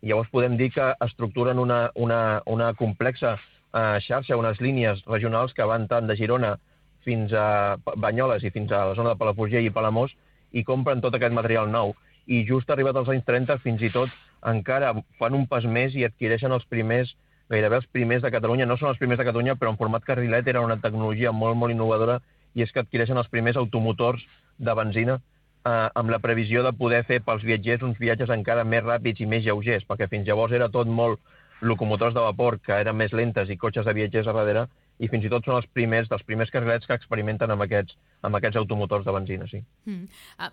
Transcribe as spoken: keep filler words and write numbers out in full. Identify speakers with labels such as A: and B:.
A: I llavors podem dir que estructuren una, una, una complexa eh, xarxa, unes línies regionals que van tant de Girona fins a Banyoles i fins a la zona de Palafrugell i Palamós i compren tot aquest material nou. I just arribat als anys trenta, fins i tot encara fan un pas més i adquireixen els primers, gairebé els primers de Catalunya. No són els primers de Catalunya, però en format carrilet era una tecnologia molt, molt innovadora i és que adquireixen els primers automotors de benzina eh, amb la previsió de poder fer pels viatgers uns viatges encara més ràpids i més lleugers, perquè fins llavors era tot molt locomotors de vapor que eren més lentes i cotxes de viatgers a darrere, i fins i tot són els primers dels primers carrilets que experimenten amb aquests, amb aquests automotors de benzina, sí.
B: Mm. Uh,